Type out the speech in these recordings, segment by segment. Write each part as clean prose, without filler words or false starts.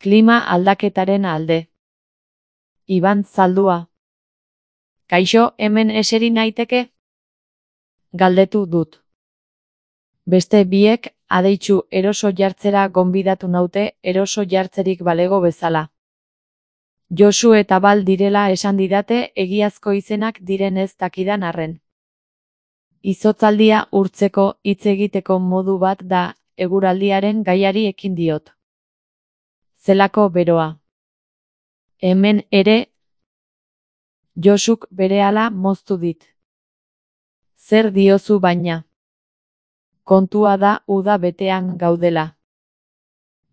Klima aldaketaren alde. Iban Zaldua. Kaixo, hemen eseri naiteke? Galdetu dut. Beste biek, adeitzu eroso jartzera gonbidatu naute, eroso jartzerik balego bezala. Josu eta Bal direla esan didate, egiazko izenak diren ez dakidan arren. Izotzaldia urtzeko hitz egiteko modu bat da, eguraldiaren gaiari ekin diot. Zelako beroa. Hemen ere, Josuk berehala moztu dit. Zer diozu baina? Kontua da uda betean gaudela.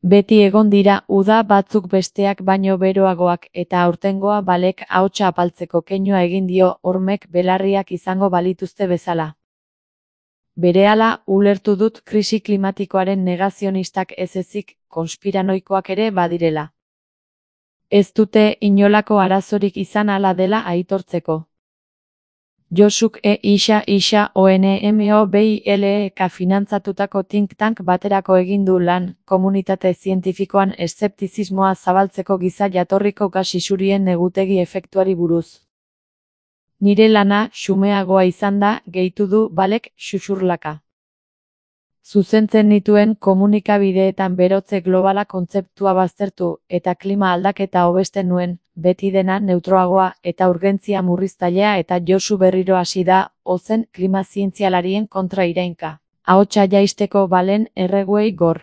Beti egon dira uda batzuk besteak baino beroagoak eta aurtengoa Balek ahotsa apaltzeko keinua egin dio hormek belarriak izango balituzte bezala. Berehala ulertu dut krisi klimatikoaren negazionistak ez ezik konspiranoikoak ere badirela. Ez dute inolako arazorik izan hala dela aitortzeko. Josuk isa ONMOBILEK finantzatutako think tank baterako egin du lan, komunitate zientifikoan eszeptizismoa zabaltzeko giza jatorriko gas isurien negutegi efektuari buruz. Nire lana xumeagoa izan da, gehitu du Balek xuxurlaka. Zuzentzen nituen komunikabideetan berotze globala kontzeptua baztertu eta klima aldaketa hobesten nuen, beti dena neutroagoa eta urgentzia murriztailea eta Josu berriro hasi da, ozen klima zientzialarien kontra irainka. Ahotsa jaisteko Balen erreguei gor.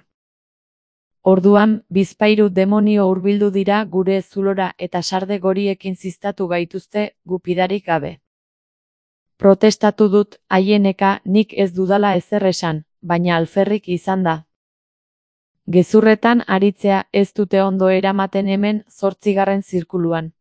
Orduan, bizpahiru demonio hurbildu dira gure zulora eta sarde goriekin ziztatu gaituzte, gupidarik gabe. Protestatu dut, haieneka nik ez dudala ezer esan, baina alferrik izan da. Gezurretan aritzea ez dute ondo eramaten hemen 8. zirkuluan.